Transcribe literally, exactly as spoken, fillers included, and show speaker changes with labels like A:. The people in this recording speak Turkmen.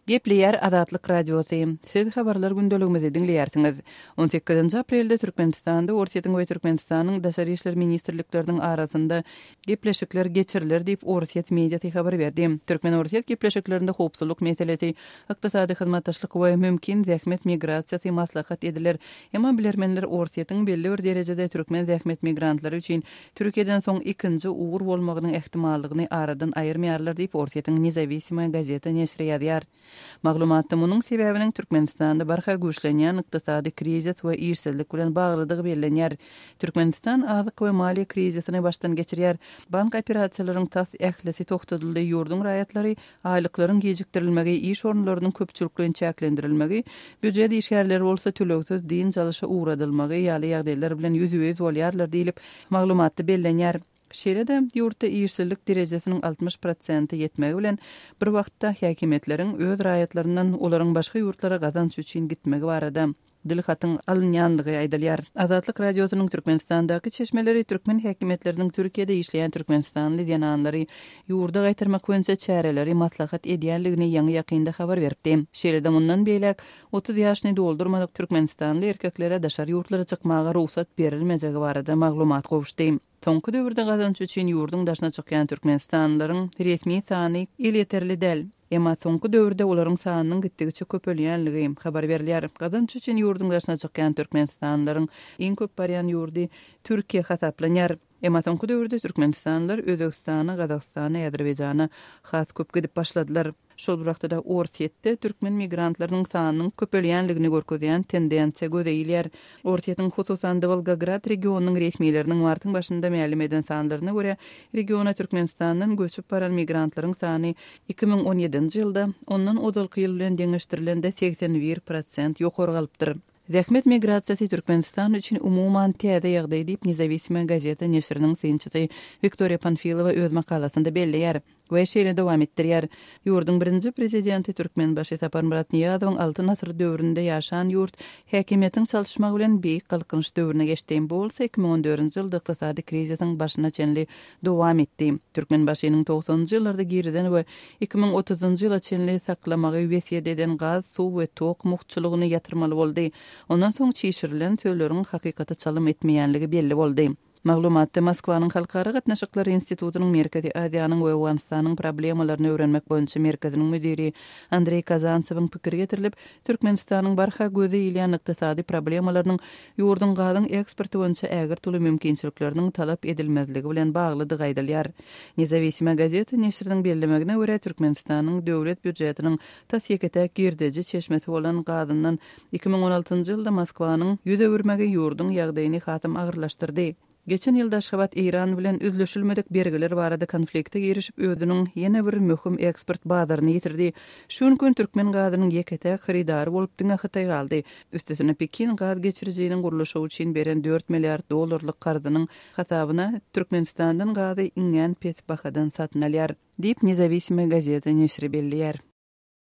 A: Gepleýär Azatlyk Radiosy. Siz habarlar gündeligimizi diňleýärsiňiz. On sekizinji aprelde Türkmenistanda Orsýetiň we Türkmenistanyň Daşary işler ministrlikleriniň arasynda gepleşikler geçiriler diýip, Orsýet mediasy habar berdi. Türkmen-orsýet gepleşiklerinde howpsuzlyk meselesi, ykdysady hyzmatdaşlyk we mümkin zähmet migrasiýasy maslahat ediler. Emma bilermenler Orsýetiň belli bir derejede türkmen zähmet migrantlary üçin Türkiýeden soň ikinji ugur bolmagynyň ähtimallygyny aradan aýyrmaýarlar diýip, Orsýetiň Nezawisimoýa gazeta neşiri ýazýar. Maglumatda munuň sebäbiniň Türkmenistanda barha güýçlenýän ykdysady krizis we işsizlik bilen baglydygy bellenýär. Türkmenistan azyk we maliýe krizisini başdan geçirýär. Bank operasiýalaryň tas ählisi togtadyldy, ýurduň raýatlary aýlyklaryň gijikdirilmegi, iş orunlarynyň köpçülikleýin çäklendirilmegi, býujet işgärleri bolsa tölegsiz dynç alyşa ugradylmagy ýaly ýagdaýlar bilen ýüzbe-ýüz bolýarlar diýlip, maglumatda bellenýär. Şeýle-de, ýurtda işsizlik derejesiniň altmyş prosente ýetmegi bilen bir wagtda häkimiýetleriň öz raýatlaryndan olaryň başga ýurtlara gazanç üçin gitmegi barada dilhatyň alynýandygy aýdylýar. Azatlyk Radiosynyň Türkmenistandaky çeşmeleri türkmen häkimiýetleriniň Türkiýede işleýän türkmenistanly zenanlary ýurda gaýtarmak boýunça çäreleri maslahat edýändigini ýaňy-ýakynda habar beripdi. Şeýle-de mundan beýläk otuz ýaşyny doldurmadyk türkmenistanly erkeklere daşary ýurtlara çykmaga rugsat berilmejegi barada maglumat gowuşdy. Soňky döwürde gazanç üçin ýurduň daşyna çykýan türkmenistanlylaryň resmi sany elýeterli däl. Emma soňky döwürde olaryň sanynyň gitdigiçe köpelýänligi habar berilýär. Gazanç üçin ýurduň daşyna çykýan türkmenistanlylaryň iň köp barýan ýurdy Türkiýe hasaplanýar. Emma soňky döwürde türkmenistanlylar Özbegistana, Gazagystana, Azerbaýjana has köp gidip başladylar. Şol bir wagtda-da Orsýetde türkmen migrantlarynyň sanynyň köpelýänligini görkezýän tendensiýa göze ilýär. Orsýetiň hususan-da Wolgograd regionynyň resmileriniň martyň başynda mälim eden sanlaryna görä, regiona Türkmenistandan göçüp baran migrantlaryň sany iki müň on ýedinji ýylda ondan ozalky ýyl bilen deňeşdirilende segsen bir prosent ýokary galypdyr. Zähmet migrasiýasy Türkmenistan üçin umuman täze ýagdaý diýip, Nezawisimoýa gazeta neşiriniň synçysy Wiktoriýa Panfilowa öz makalasynda belleýär we şeýle dowam etdirýär. Ýurduň birinji prezidenti Türkmenbaşy Saparmyrat Nyýazowyň Altyn asyr döwründe ýaşan ýurt häkimiýetiň çalyşmagy bilen beýik galkynyş döwrüne geçdi. Bu bolsa iki müň on dördünji ýylda ykdysady krizisiň başyna çenli dowam etdi. Türkmenbaşynyň togsanynjy ýyllarda girizen we iki müň otuzynjy ýyla çenli saklamagy wesýet eden gaz, suw we tok mugtçulygyny ýatyrmaly boldy. Ondan soň çişirilen sözleriň hakykata çalym etmeýänligi belli boldy. Maglumatda Moskwanyň Halkara gatnaşyklary institutynyň Merkezi Aziýanyň we Owganystanyň problemalaryny öwrenmek boýunça merkeziniň müdiri Andreý Kazantsewiň pikiri getirilip, Türkmenistanyň barha göze ilýän ykdysady problemalarynyň ýurduň gazyň eksporty boýunça ägirt uly mümkinçilikleriniň talap edilmezligi bilen baglydygy aýdylýar. Nezawisimoýa gazeta neşiriniň bellemegine görä, Türkmenistanyň döwlet býujetiniň tas ýeke-täk girdeji çeşmesi bolan gazyndan iki müň on altynjy ýylda Moskwanyň ýüz öwürmegi ýurduň ýagdaýyny hasam agyrlaşdyrdy. Geçen ýylda Aşgabat Eýran bilen üzlüşilmedik bergiler barada konflikte girişip, özüniň ýene bir möhüm eksport bazaryny ýitirdi. Şu gün türkmen gazynyň ýeke-täk hyrydary bolup diňe Hytaý galdy. Üstesine Pekin gaz geçirijiniň gurluşygy üçin beren dört milliard dollarlyk karzynyň hasabyna Türkmenistandan gazy iňňän pes bahadan satyn alýar, diýip, Nezawisimoýa gazeta neşiri belleýär.